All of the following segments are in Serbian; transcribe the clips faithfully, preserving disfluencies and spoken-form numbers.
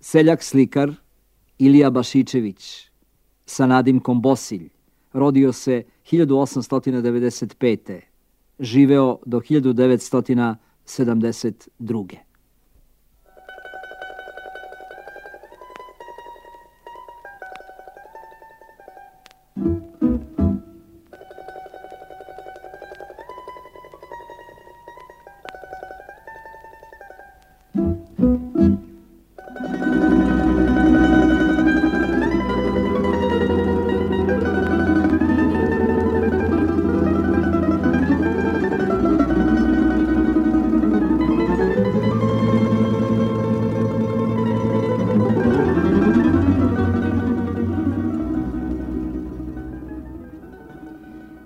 Seljak slikar Ilija Bašičević sa nadimkom Bosilj rodio se hiljadu osamsto devedeset pete. Živeo do hiljadu devetsto sedamdeset druge.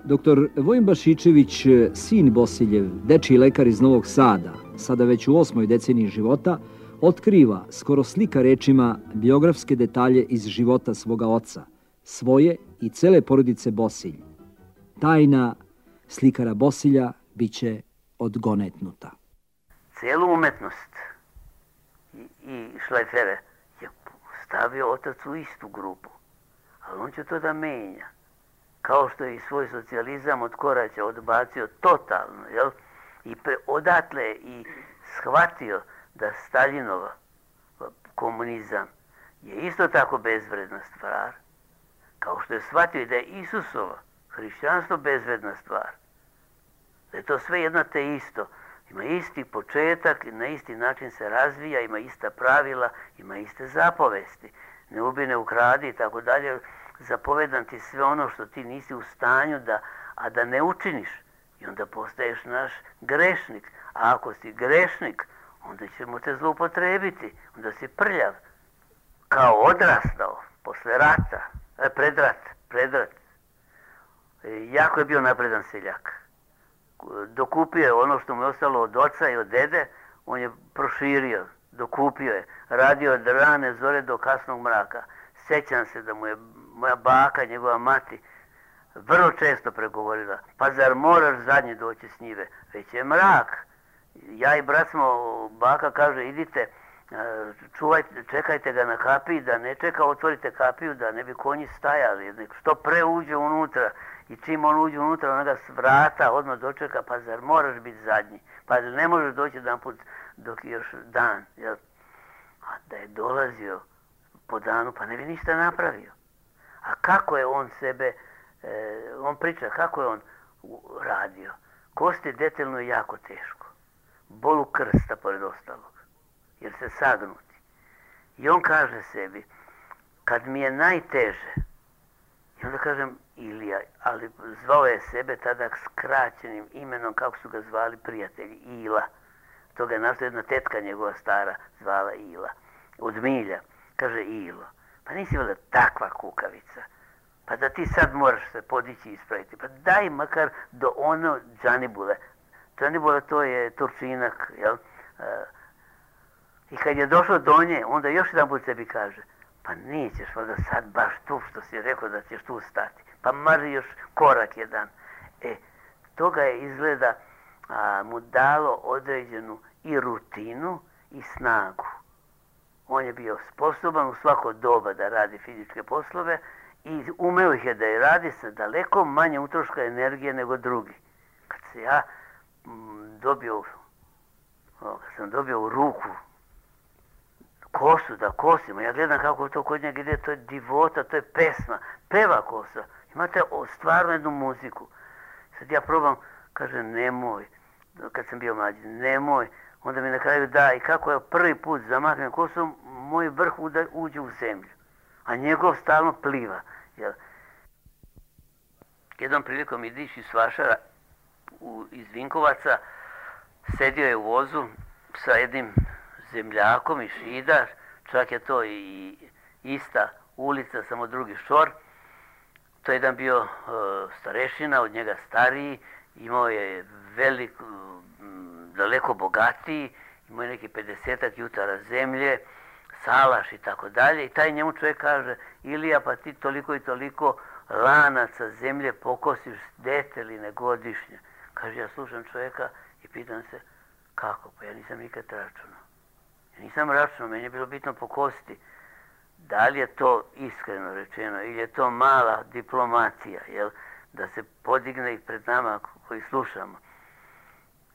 Doktor Vojin Bašičević, sin Bosiljev, dečiji lekar iz Novog Sada, sada već u osmoj deceniji života, otkriva, skoro slika rečima, biografske detalje iz života svoga oca, svoje i cele porodice Bosilj. Tajna slikara Bosilja biće odgonetnuta. Cijelu umetnost i, i šlajfere je stavio otac u istu grupu, ali on će to da menja. Kao što je i svoj socijalizam od koraća odbacio totalno, jel? I pre, odatle i shvatio da Staljinova komunizam je isto tako bezvredna stvar, kao što je shvatio i da je Isusova hrišćanstvo bezvredna stvar. Da je to sve jedno te isto. Ima isti početak, na isti način se razvija, ima ista pravila, ima iste zapovesti. Ne ubi, ne ukradi i tako dalje. Zapovedam ti sve ono što ti nisi u stanju da, a da ne učiniš. I onda postaješ naš grešnik. A ako si grešnik, onda ćemo te zloupotrebiti. Onda si prljav. Kao odrastao, posle rata, e, pred rat, pred rat. E, jako je bio napredan seljak. Dokupio je ono što mu je ostalo od oca i od dede, on je proširio, dokupio je. Radio od rane zore do kasnog mraka. Sjećam se da mu je moja baka, njegova mati, vrlo često pregovorila, pa zar moraš zadnji doći s njive? Već je mrak. Ja i brat smo, baka kaže, idite, čuvajte, čekajte ga na kapiji, da ne čeka, otvorite kapiju, da ne bi konji stajali. Što pre uđe unutra i čim on uđe unutra, ona ga s vrata odmah dočeka, pa zar moraš biti zadnji? Pa ne možeš doći jedan put dok je još dan. Jel? A da je dolazio po danu, pa ne bi ništa napravio. A kako je on sebe, e, on priča kako je on radio. Kosti detaljno je jako teško. Bolu krsta pored ostalog, jer se sagnuti. I on kaže sebi, kad mi je najteže, i onda kažem Ilija, ali zvao je sebe tada skraćenim imenom kako su ga zvali prijatelji, Ila. To ga je našto jedna tetka njegova stara zvala Ila, od milja. Kaže Ilo, pa nisi valjda takva kukavica, pa da ti sad moraš se podići i ispraviti, pa daj makar do ono Džanibule. Džanibule to je Turčinak, jel? E, I kad je došao do nje, onda još jedan put sebi kaže, pa nećeš valjda sad baš tu što si rekao da ćeš tu stati, pa marži još korak jedan. E, toga je izgleda a, mu dalo određenu i rutinu i snagu. On je bio sposoban u svako doba da radi fizičke poslove i umeo ih je da je radi sa daleko manje utroška energije nego drugi. Kad se ja m, dobio, o, kad sam dobio u ruku kosu da kosimo, ja gledam kako to kod njega ide, to je divota, to je pesma, peva kosa. Imate o, stvarno jednu muziku. Sad ja probam, kaže nemoj, kad sam bio mlađi, nemoj. Onda mi na kraju da, i kako je prvi put zamahnem kosom, moj vrh uđe u zemlju, a njegov stalno pliva. Jel? Jednom prilikom idiš iz Vašara u, iz Vinkovaca, sedio je u vozu sa jednim zemljakom i Šidar, čak je to i ista ulica, samo drugi šor. To je jedan bio uh, starešina, od njega stariji, imao je velik, daleko bogatiji, imao je neki pedesetak jutara zemlje, salaš i tako dalje. I taj njemu čovjek kaže, Ilija, pa ti toliko i toliko lanaca zemlje pokosiš deteline godišnje. Kaže, ja slušam čovjeka i pitam se, kako? Pa ja nisam nikad računao. Nisam računao, meni je bilo bitno po kosti. Da li je to iskreno rečeno ili je to mala diplomatija, jel? Da se podigne i pred nama koji slušamo.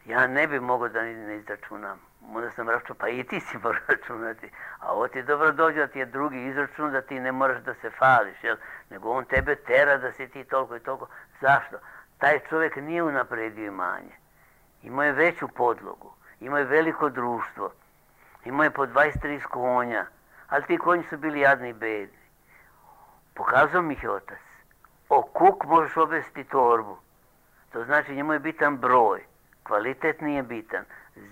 Ja ne bi mogao da ne izračunam. Možda sam računao, pa i ti si moraš računati. A ovo ti dobro dođe da ti je drugi izračun, da ti ne moraš da se fališ, jel? Nego on tebe tera da si ti toliko i toliko. Zašto? Taj čovjek nije unapredio imanje. Imao je veću podlogu. Imao je veliko društvo. Imao je po dvadeset tri konja. Ali ti konji su bili jadni i bedni. Pokazao mi ih je otac. O kuk možeš obesiti torbu. To znači njemu je bitan broj. Kvalitet nije bitan.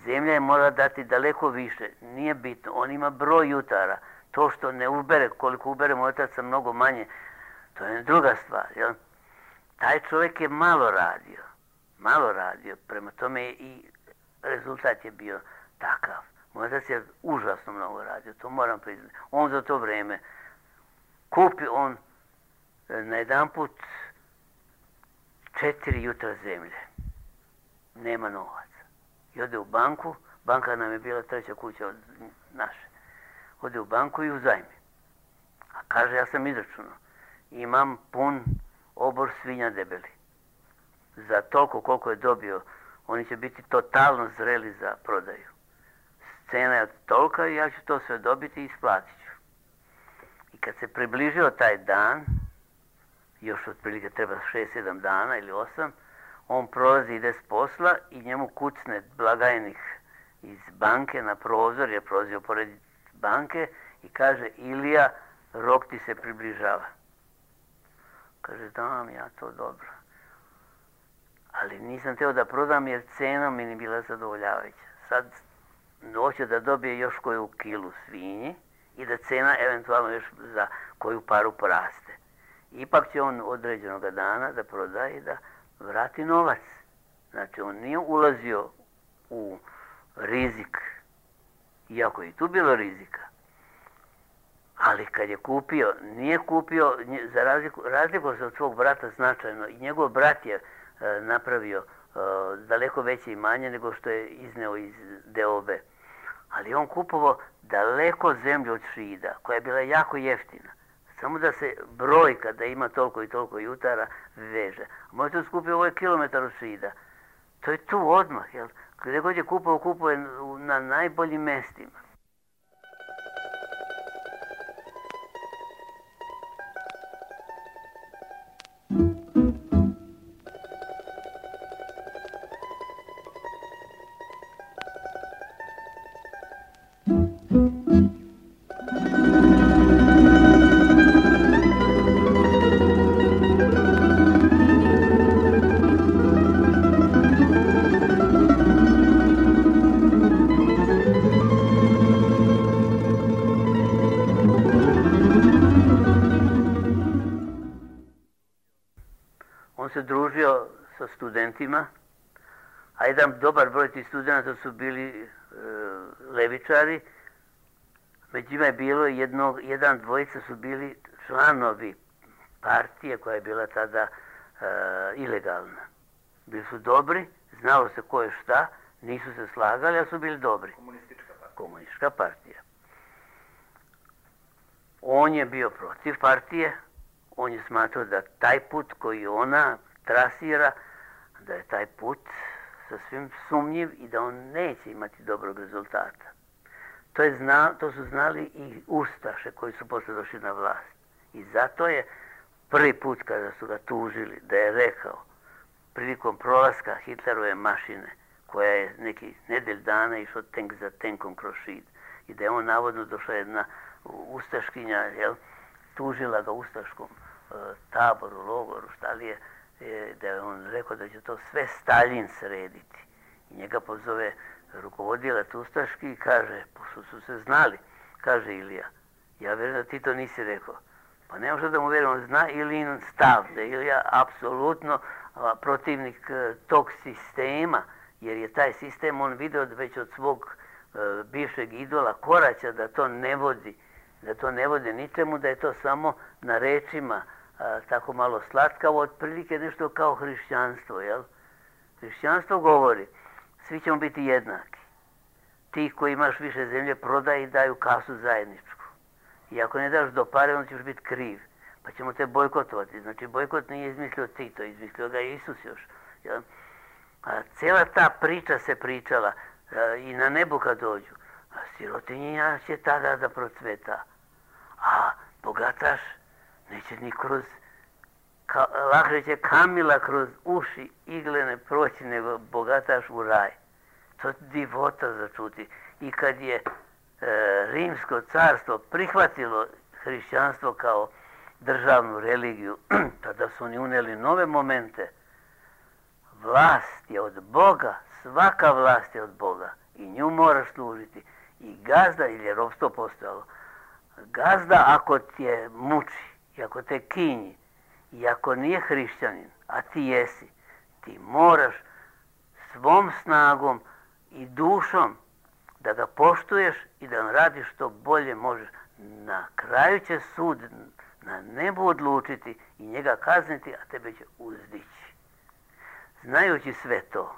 Zemlja je mora dati daleko više. Nije bitno. On ima broj jutara. To što ne ubere, koliko ubere moj otac sa mnogo manje, to je druga stvar. Jel? Taj čovjek je malo radio. Malo radio. Prema tome i rezultat je bio takav. Moj otac je užasno mnogo radio. To moram priznati. On za to vrijeme kupi on na jedan put četiri jutra zemlje. Nema novaca. I ode u banku, banka nam je bila treća kuća od naše. Ode u banku i uzajmi. A kaže, ja sam izračunao. Imam pun obor svinja debeli. Za toliko koliko je dobio, oni će biti totalno zreli za prodaju. Cena je tolika i ja ću to sve dobiti i isplatit ću. I kad se približio taj dan, još otprilike treba šest sedam dana ili osam, on prolazi, ide s posla i njemu kucne blagajnik iz banke na prozor, je prolazio pored banke i kaže, Ilija, rok ti se približava. Kaže, dam ja to dobro. Ali nisam teo da prodam jer cena mi nije bila zadovoljavajuća. Sad hoće da dobije još koju kilu svinji i da cena eventualno još za koju paru poraste. Ipak će on određenog dana da prodaje i da vrati novac. Znači, on nije ulazio u rizik, iako je i tu bilo rizika. Ali kad je kupio, nije kupio, za razliku, razliku se od svog brata značajno, i njegov brat je e, napravio e, daleko veće imanje nego što je izneo iz deobe. Ali on kupovao daleko zemlju od Šida, koja je bila jako jeftina. Samo da se brojka da ima toliko i toliko jutara veže. A možete skupiti ovo je kilometar od Šida. To je tu odmah, jel? Gdje god je kupao, kupao je na najboljim mestima. On se družio sa studentima, a jedan dobar broj tih studenta su bili e, levičari. Među njima je bilo jednog, jedan dvojica su bili članovi partije koja je bila tada e, ilegalna. Bili su dobri, znalo se ko je šta, nisu se slagali, ali su bili dobri. Komunistička partija. Komunistička partija. On je bio protiv partije. On je smatrao da taj put koji ona trasira, da je taj put sasvim sumnjiv i da on neće imati dobrog rezultata. To, je zna, to su znali i ustaše koji su posle došli na vlast. I zato je prvi put kada su ga tužili da je rekao prilikom prolaska Hitlerove mašine, koja je neki nedelj dana išao tenk za tenkom kroz Šid, i da je on navodno došla jedna ustaškinja, jel, tužila ga ustaškom e, taboru, logoru, šta li je, e, da je on rekao da će to sve Staljin srediti. I njega pozove rukovodilac ustaški i kaže, pošto su se znali, kaže Ilija, ja vjerujem da ti to nisi rekao. Pa ne možda da mu vjerujem, on zna Ilijin stav, da je Ilija apsolutno a, protivnik a, tog sistema, jer je taj sistem on video već od svog a, bivšeg idola Koraća da to ne vodi, da to ne vodi ničemu, da je to samo na rečima a, tako malo slatkavo, otprilike nešto kao hrišćanstvo, jel? Hrišćanstvo govori, svi ćemo biti jednaki. ti koji imaš više zemlje prodaj i daju kasu zajedničku. I ako ne daš do pare, onda ćeš biti kriv. Pa ćemo te bojkotovati. Znači, bojkot nije izmislio Tito, izmislio ga Isus još. A cijela ta priča se pričala i na nebu kad dođu. A sirotinja će tada da procveta. A bogataš neće ni kroz, ka, lakše će kamila kroz uši iglene proći nego bogataš u raj. To je divota začuti. I kad je e, Rimsko carstvo prihvatilo hrišćanstvo kao državnu religiju, tada su oni unijeli nove momente. Vlast je od Boga, svaka vlast je od Boga i nju moraš služiti. I gazda, ili je ropstvo postojalo, gazda ako te muči, i ako te kinji, i ako nije hrišćanin, a ti jesi, ti moraš svom snagom i dušom da ga poštuješ i da radiš što bolje možeš. Na kraju će sud na nebu odlučiti i njega kazniti, a tebe će uzdići. Znajući sve to,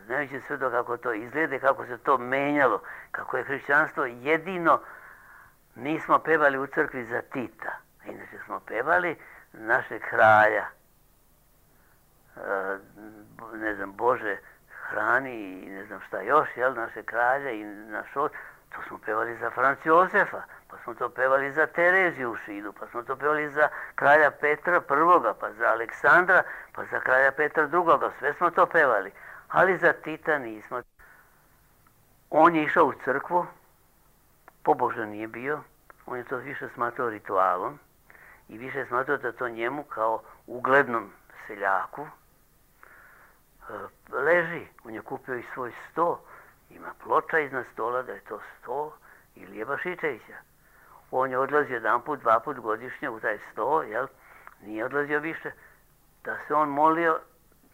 znajući sve to kako to izgleda, kako se to menjalo, kako je hrišćanstvo jedino, nismo pevali u crkvi za Tita, a inače smo pevali našeg kralja, ne znam, Bože hrani i ne znam šta još, jel, naše kralja i naš od, to smo pevali za Franc Jozefa, pa smo to pevali za Tereziju u Šidu, pa smo to pevali za kralja Petra prvoga, pa za Aleksandra, pa za kralja Petra drugoga, sve smo to pevali, ali za Tita nismo. On je išao u crkvu, pobožan nije bio, on je to više smatrao ritualom i više smatrao da to njemu kao uglednom seljaku leži. On je kupio i svoj sto, ima ploča iznad stola da je to sto Ilije Bašičevića. On je odlazio jedan put, dva put godišnje u taj sto, jel? Nije odlazio više. Da se on molio,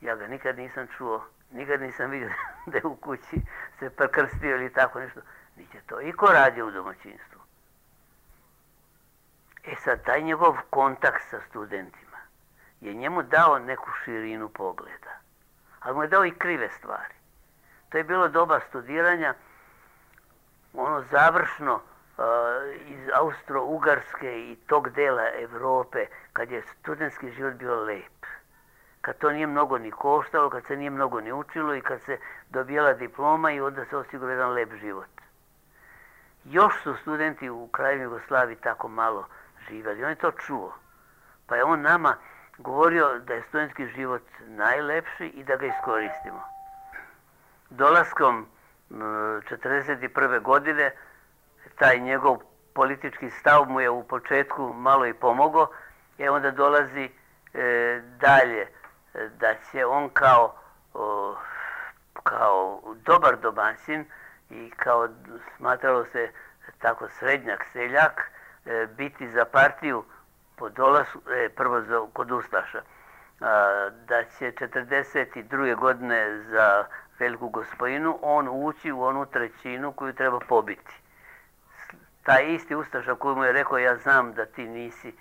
ja ga nikad nisam čuo, nikad nisam vidio da je u kući se prekrstio ili tako nešto. Niće to iko radio u domaćinstvu. E sad, taj njegov kontakt sa studentima je njemu dao neku širinu pogleda, ali mu je dao i krive stvari. To je bilo doba studiranja, ono završno uh, iz Austro-Ugarske i tog dela Evrope, kad je studentski život bio lep. Kad to nije mnogo ni koštalo, kad se nije mnogo ni učilo i kad se dobijala diploma i onda se osigurao jedan lep život. Još su studenti u kraju Jugoslaviji tako malo živjeli. On je to čuo. Pa je on nama govorio da je studentski život najlepši i da ga iskoristimo. Dolaskom četrdeset prve godine taj njegov politički stav mu je u početku malo i pomogao, i onda dolazi e, dalje da će on kao, o, kao dobar domaćin i kao smatralo se tako srednjak seljak e, biti za partiju po dolasku, e, prvo za, kod Ustaša, a, da će četrdeset druge godine za Veliku Gospojinu on ući u onu trećinu koju treba pobiti. Taj isti Ustaša koji mu je rekao ja znam da ti nisi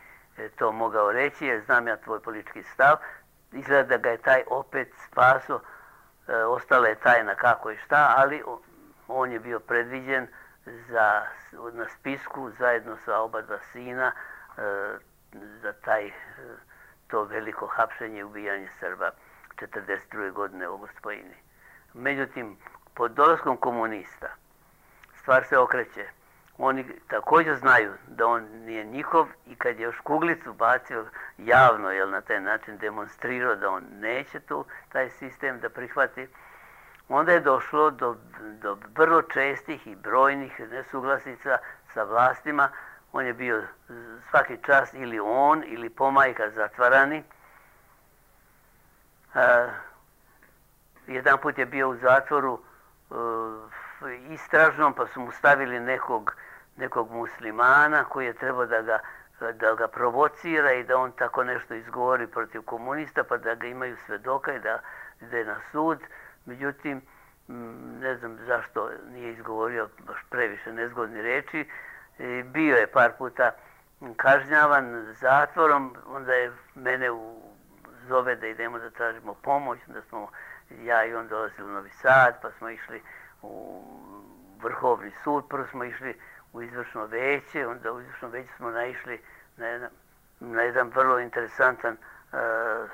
to mogao reći, jer znam ja tvoj politički stav, izgleda da ga je taj opet spaso, e, ostala je tajna kako i šta, ali on je bio predviđen za, na spisku zajedno sa oba dva sina e, za taj, e, to veliko hapšenje i ubijanje Srba četrdeset druge godine u Gospojini. Međutim, pod dolaskom komunista stvar se okreće. Oni također znaju da on nije njihov i kad je još kuglicu bacio javno, jel, na taj način demonstrirao da on neće tu taj sistem da prihvati, onda je došlo do, do vrlo čestih i brojnih nesuglasica sa vlastima. On je bio svaki čas ili on ili pomajka zatvarani. E, jedan put je bio u zatvoru e, istražnom, pa su mu stavili nekog, nekog muslimana koji je trebao da ga, da ga provocira i da on tako nešto izgovori protiv komunista, pa da ga imaju svedoka i da ide na sud. Međutim, ne znam zašto nije izgovorio baš previše nezgodne reči. Bio je par puta kažnjavan zatvorom, onda je mene u, zove da idemo da tražimo pomoć, onda smo ja i on dolazili u Novi Sad, pa smo išli u Vrhovni sud. Prvo smo išli u izvršno veće, onda u izvršno veće smo naišli na jedan, na jedan vrlo interesantan uh,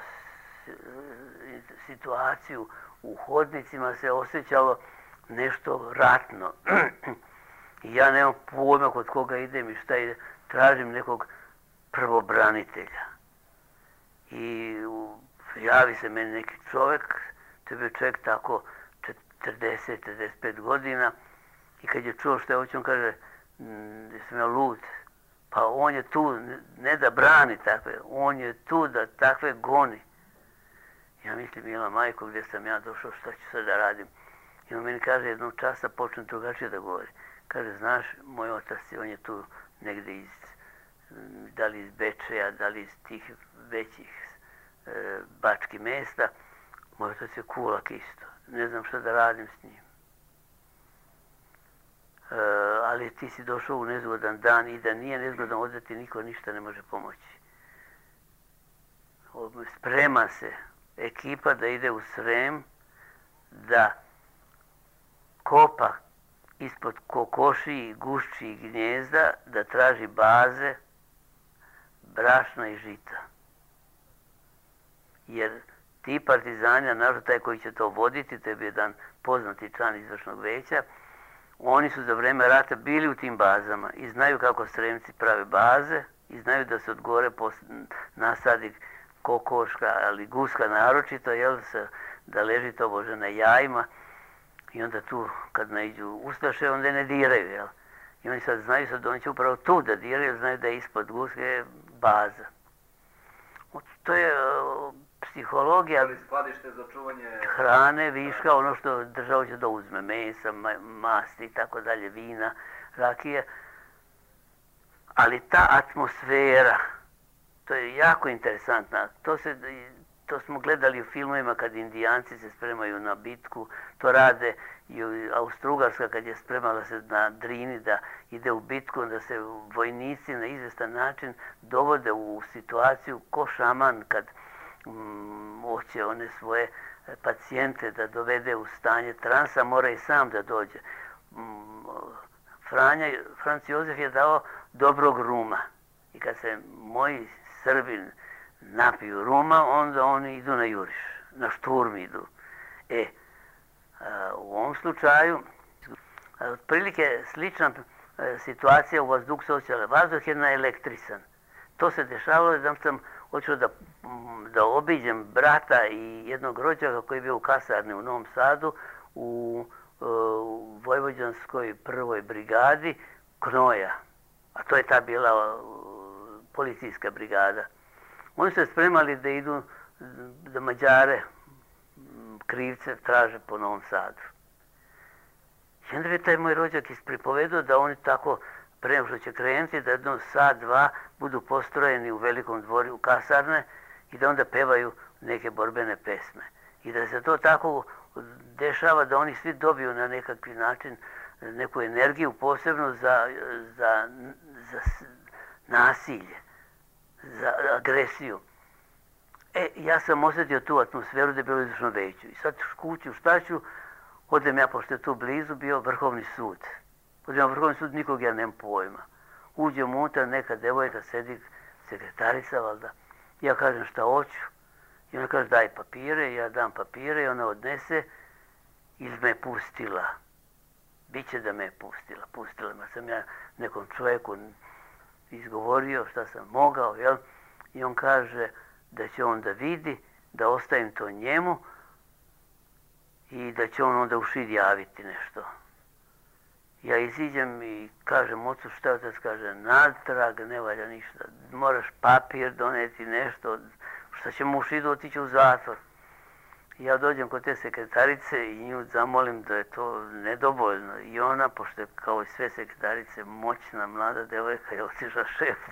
situaciju. U hodnicima se osjećalo nešto ratno. I ja nemam pojma kod koga idem i šta ide. Tražim nekog prvobranitelja. I javi se meni neki čovjek, to je bio čovjek tako četrdeset do četrdeset pet godina, i kad je čuo što je hoće, on kaže, jesam ja lud, pa on je tu ne da brani takve, on je tu da takve goni. Ja mislim, mila majko, gdje sam ja došao, šta ću sad da radim? I on meni kaže, jednog časa počne drugačije da govori. Kaže, znaš, moj otac, on je tu negdje iz, da li iz Bečeja, da li iz tih većih e, bačkih mjesta. Moj otac je kulak isto. Ne znam šta da radim s njim. E, ali ti si došao u nezgodan dan i da nije nezgodan ovdje ti niko ništa ne može pomoći. Sprema se ekipa da ide u Srem, da kopa ispod kokoši, gušći i gnjezda, da traži baze, brašna i žita. Jer ti partizani, naravno taj koji će to voditi, to je bio jedan poznati član izvršnog veća, oni su za vreme rata bili u tim bazama i znaju kako Sremci prave baze i znaju da se od gore nasadi kokoška, ali guska naročito, jel, se, da leži to bože na jajima. I onda tu, kad naiđu ustaše, onda ne diraju, jel? I oni sad znaju, sad oni će upravo tu da diraju, znaju da je ispod guske baza. To je uh, psihologija. Ali skladište za čuvanje hrane, viška, ono što država će da uzme, mesa, masti i tako dalje, vina, rakije. Ali ta atmosfera, to je jako interesantna. To se... To smo gledali u filmovima kad Indijanci se spremaju na bitku, to rade i Austro-Ugarska kad je spremala se na Drini da ide u bitku, da se vojnici na izvestan način dovode u situaciju ko šaman kad mm, hoće one svoje pacijente da dovede u stanje transa, mora i sam da dođe. Mm, Franja, Franc Jozef je dao dobrog ruma i kad se moji Srbin napiju ruma, onda oni idu na juriš, na šturm idu. E, a, u ovom slučaju, a, otprilike slična a, situacija u vazduh socijalne. Vazduh je naelektrisan. To se dešavalo da sam hoćeo da, da obiđem brata i jednog rođaka koji je bio u kasarni u Novom Sadu, u, u Vojvođanskoj prvoj brigadi Knoja. A to je ta bila policijska brigada. Oni su se spremali da idu, da Mađare, krivce, traže po Novom Sadu. I onda je taj moj rođak ispripovedao da oni tako, pre nego što će krenuti, da jedno sat, dva budu postrojeni u velikom dvoru u kasarne i da onda pevaju neke borbene pesme. I da se to tako dešava da oni svi dobiju na nekakvi način neku energiju posebno za, za, za nasilje, za agresiju. E, ja sam osjetio tu atmosferu da je bilo izvršno veću. I sad kuću, šta ću, odem ja, pošto je tu blizu, bio Vrhovni sud. Odem ja Vrhovni sud, nikog ja nemam pojma. Uđem unutra, neka devojka sedi, sekretarica, valjda. Ja kažem šta hoću. I ona kaže daj papire, ja dam papire i ona odnese ili me pustila. Biće da me pustila, pustila me. Sam ja nekom čovjeku izgovorio šta sam mogao, jel? I on kaže da će on da vidi, da ostavim to njemu i da će on onda u šid javiti nešto. Ja iziđem i kažem ocu šta otac kaže, natrag, ne valja ništa, moraš papir doneti nešto, šta ćemo u šidu otići u zatvor. Ja dođem kod te sekretarice i nju zamolim da je to nedovoljno. I ona, pošto je kao i sve sekretarice moćna mlada devojka, je otišla šefu.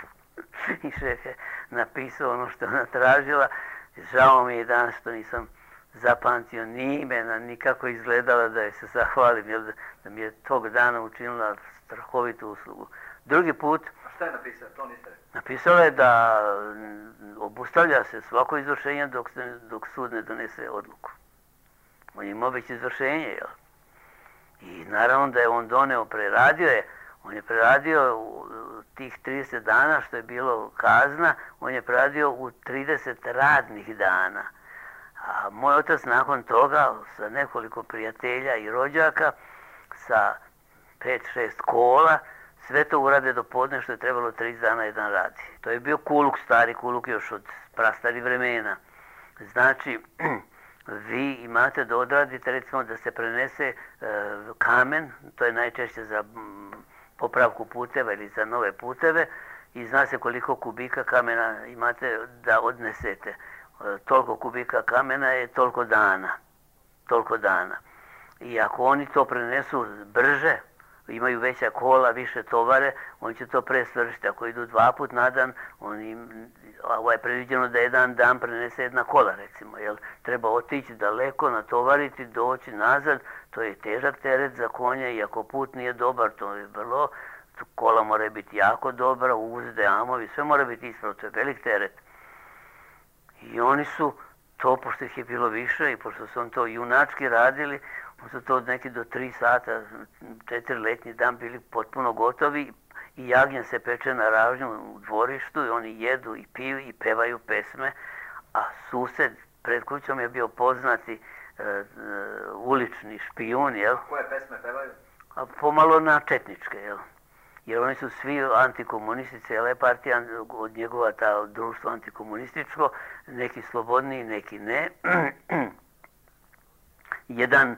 I šef je napisao ono što ona tražila. Žao mi je danas što nisam zapamtio ni imena, nikako izgledala da je se zahvalim, jer da mi je tog dana učinila strahovitu uslugu. Drugi put... A šta je napisao? To niste rekli. Napisala je da obustavlja se svako izvršenje dok, dok sud ne donese odluku. On ima već izvršenje, jel? I naravno da je on doneo, preradio je, on je preradio u tih trideset dana što je bilo kazna, on je preradio u trideset radnih dana. A moj otac nakon toga sa nekoliko prijatelja i rođaka, sa pet šest kola, sve to urade do podne što je trebalo trideset dana jedan radi. To je bio kuluk, stari kuluk još od prastarih vremena. Znači, vi imate da odradite, recimo da se prenese e, kamen, to je najčešće za m, popravku puteva ili za nove puteve, i zna se koliko kubika kamena imate da odnesete. E, toliko kubika kamena je toliko dana. Toliko dana. I ako oni to prenesu brže, imaju veća kola, više tovare, oni će to pre svršiti. Ako idu dva put na dan, oni, ovo je predviđeno da jedan dan prenese jedna kola, recimo. Jel? Treba otići daleko, natovariti, doći nazad, to je težak teret za konje i ako put nije dobar, to je vrlo, kola mora biti jako dobra, uzde, amovi, sve mora biti ispravno, to je velik teret. I oni su to, pošto ih je bilo više i pošto su on to junački radili, oni su to neki do tri sata, četiri letnji dan bili potpuno gotovi i jagnje se peče na ražnju u dvorištu i oni jedu i piju i pevaju pesme, a sused pred kućom je bio poznati e, e, ulični špijun, jel? Koje pesme pevaju? A pomalo na četničke, jel? Jer oni su svi antikomunisti, cijela partija od njegova ta društvo antikomunističko, neki slobodniji, neki ne. Jedan e,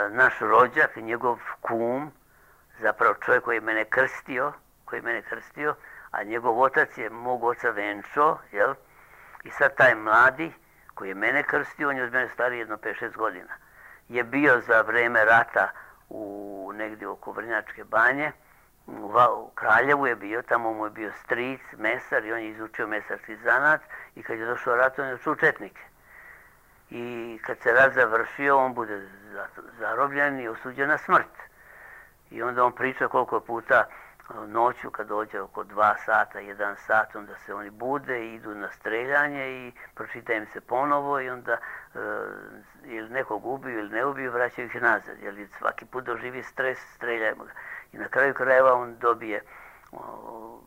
naš rođak, njegov kum, zapravo čovjek koji je mene krstio, koji je mene krstio, a njegov otac je mog oca venčo, jel? I sad taj mladi koji je mene krstio, on je od mene stariji jedno pet šest godina, je bio za vreme rata u negdje oko Vrnjačke banje, u Kraljevu je bio, tamo mu je bio stric, mesar i on je izučio mesarski zanat i kad je došao rat, on je došao u četnike. I kad se rat završio, on bude zarobljen i osuđen na smrt. I onda on priča koliko puta noću kad dođe oko dva sata, jedan sat, onda se oni bude i idu na streljanje i pročita im se ponovo i onda e, ili nekog ubiju ili ne ubiju, vraćaju ih nazad. Jer svaki put doživi stres, streljajmo ga. I na kraju krajeva on dobije o,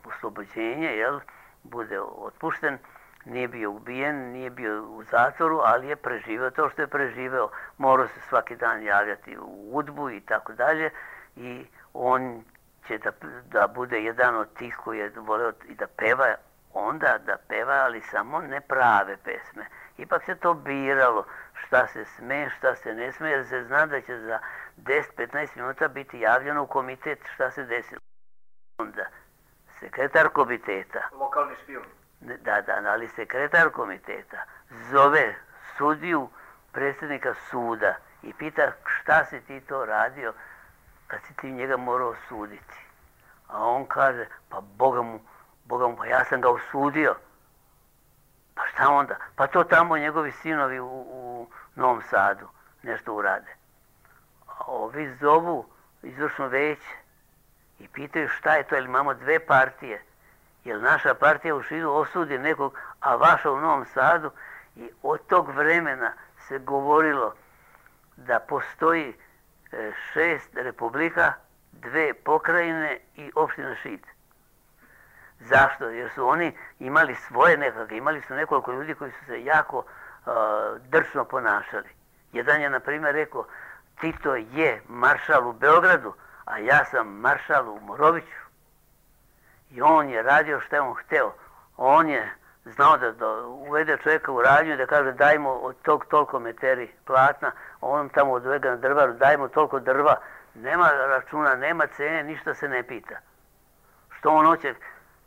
oslobođenje, jel, bude otpušten, nije bio ubijen, nije bio u zatvoru, ali je preživeo to što je preživeo. Morao se svaki dan javljati u udbu i tako dalje i on će da, da bude jedan od tih koji je voleo i da peva, onda da peva, ali samo ne prave pesme. Ipak se to biralo šta se sme, šta se ne sme, jer se zna da će za deset do petnaest minuta biti javljeno u komitet šta se desilo. Onda sekretar komiteta, lokalni špijun. Da, da, ali sekretar komiteta zove sudiju, predsjednika suda i pita šta si ti to radio kad si ti njega morao osuditi. A on kaže, pa Boga mu, Boga mu, pa ja sam ga osudio. Pa šta onda? Pa to tamo njegovi sinovi u, u Novom Sadu nešto urade. A ovi zovu izvršno veće i pitaju šta je to, jer imamo dve partije. Jer naša partija u Šidu osudi nekog, a vaša u Novom Sadu. I od tog vremena se govorilo da postoji šest republika, dve pokrajine i opština Šid. Zašto? Jer su oni imali svoje nekakve, imali su nekoliko ljudi koji su se jako uh, drčno ponašali. Jedan je, na primjer, rekao, Tito je maršal u Beogradu, a ja sam maršal u Moroviću. I on je radio što je on hteo. On je znao da, da uvede čovjeka u radnju i da kaže dajmo od tog toliko meteri platna, on tamo odvega na drvaru, dajmo toliko drva. Nema računa, nema cene, ništa se ne pita. Što on hoće?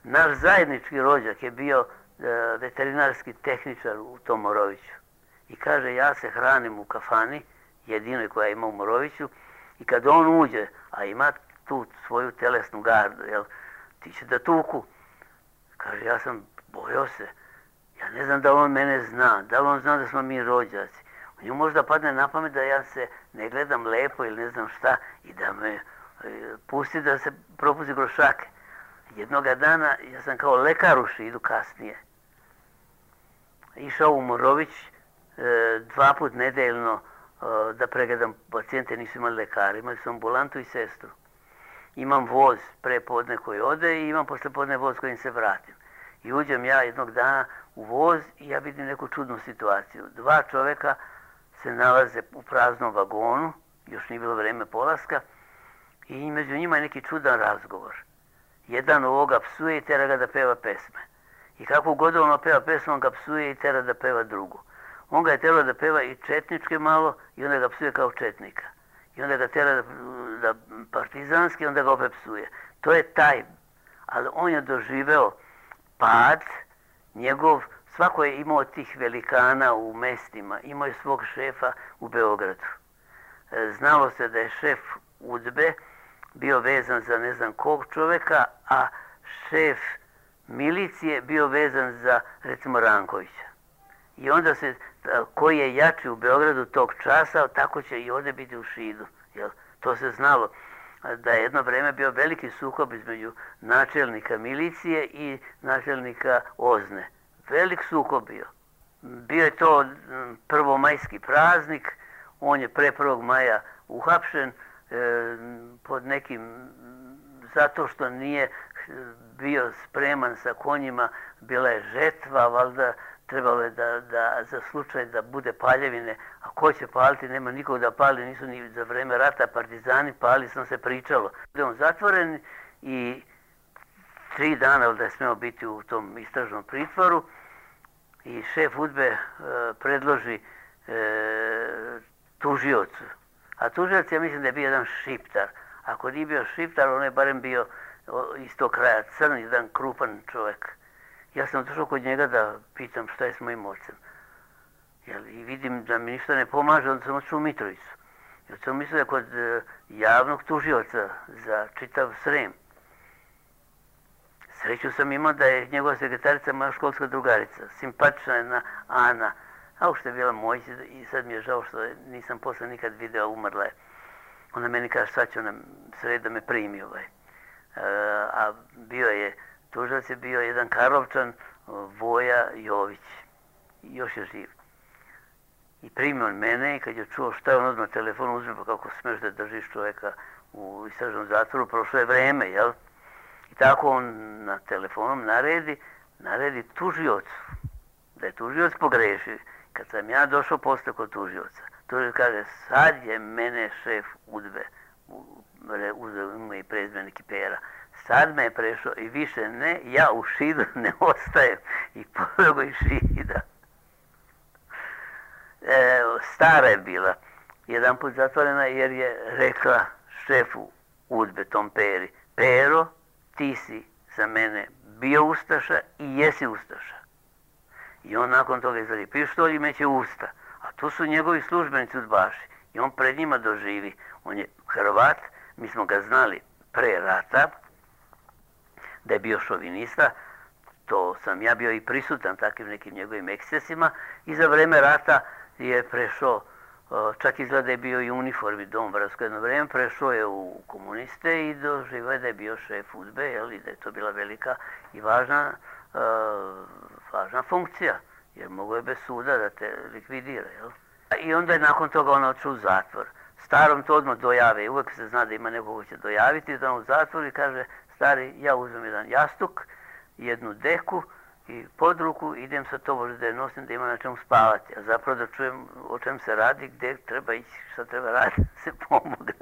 Naš zajednički rođak je bio e, veterinarski tehničar u tom Moroviću. I kaže, ja se hranim u kafani, jedinoj koja ima u Moroviću, i kad on uđe, a ima tu svoju telesnu gardu, jel, ti će da tuku. Kaže, ja sam bojao se, ja ne znam da on mene zna, da li on zna da smo mi rođaci. Nju možda padne na pamet da ja se ne gledam lepo ili ne znam šta i da me e, pusti da se propuzi grošake. Jednoga dana, ja sam kao lekar u Šidu kasnije, išao u Morović e, dva put nedeljno e, da pregledam pacijente, nisu imali lekara, imali su ambulantu i sestru. Imam voz pre podne koji ode i imam posle podne voz kojim se vratim. I uđem ja jednog dana u voz i ja vidim neku čudnu situaciju. Dva čoveka se nalaze u praznom vagonu, još nije bilo vreme polaska, i među njima je neki čudan razgovor. Jedan ovoga psuje i tera ga da peva pesme. I kako god ono peva pesmu, on ga psuje i tera da peva drugu. On ga je terao da peva i četničke malo i onda ga psuje kao četnika. I onda ga tera da, da partizanski, onda ga opet psuje. To je taj, ali on je doživeo pad, njegov, svako je imao tih velikana u mestima, imao je svog šefa u Beogradu. Znalo se da je šef UDBE bio vezan za ne znam kog čoveka, a šef milicije bio vezan za, recimo, Rankovića. I onda se, koji je jači u Beogradu tog časa, tako će i ovdje biti u Šidu. Jel? To se znalo da je jedno vreme bio veliki sukob između načelnika milicije i načelnika Ozne. Velik sukob bio. Bio je to prvomajski praznik, on je pre prvog maja uhapšen e, pod nekim, zato što nije bio spreman sa konjima, bila je žetva, valjda trebalo je da, da za slučaj da bude paljevine, a ko će paliti, nema nikog da pali, nisu ni za vreme rata partizani pali, sam se pričalo. Da on zatvoren i tri dana da je smeo biti u tom istražnom pritvoru i šef UDBE e, predloži e, tužiocu. A tužioc, ja mislim da je bio jedan Šiptar. Ako nije bio Šiptar, on je barem bio iz tog kraja, crn, jedan krupan čovjek. Ja sam došao kod njega da pitam šta je s mojim ocem. Jel, i vidim da mi ništa ne pomaže, onda sam otišao u Mitrovicu. Jer sam mislio da kod e, javnog tužioca za čitav Srem. Sreću sam imao da je njegova sekretarica moja školska drugarica, simpatična jedna Ana, a ušte je bila mojica i sad mi je žao što nisam posle nikad video, umrla je. Ona meni kaže sad će ona sred da me primi ovaj. E, a bio je, tužilac je bio jedan Karlovčan, Voja Jović, još je živ. I primio on mene i kad je čuo šta je on odmah telefon uzme, pa kako smeš da držiš čovjeka u istražnom zatvoru, prošlo je vreme, jel? I tako on na telefonom naredi, naredi tužiocu, da je tužioc pogrešio. Kad sam ja došao posle kod tužioca, tužioc kaže, sad je mene šef UDBE, uzeo ime i prezime Kipera, sad me je prešao i više ne, ja u Šidu ne ostajem i poveo iz Šida. E, stara je bila, jedan put zatvorena jer je rekla šefu UDBE, tom Peri, Pero, ti si za mene bio ustaša i jesi ustaša. I on nakon toga izvadi pištolj i meće usta. A tu su njegovi službenici udbaši. I on pred njima doživi. On je Hrvat, mi smo ga znali pre rata, da je bio šovinista. To sam ja bio i prisutan takvim nekim njegovim ekscesima. I za vreme rata je prešao, čak izgleda da je bio i u uniformi Dombarovsko jedno vreme, prešao je u komuniste i doživao je da je bio šef UDBE, jel, i da je to bila velika i važna, uh, važna funkcija, jer mogo je bez suda da te likvidira. Jel. I onda je nakon toga on otišao u zatvor. Starom to odmah dojave, uvek se zna da ima nekog ko će dojaviti, da on u zatvor i kaže, stari, ja uzmem jedan jastuk, jednu deku, i pod ruku idem sa to da je nosim da ima na čemu spavati, a zapravo da čujem o čem se radi, gdje treba ići, šta treba raditi, da se pomogne.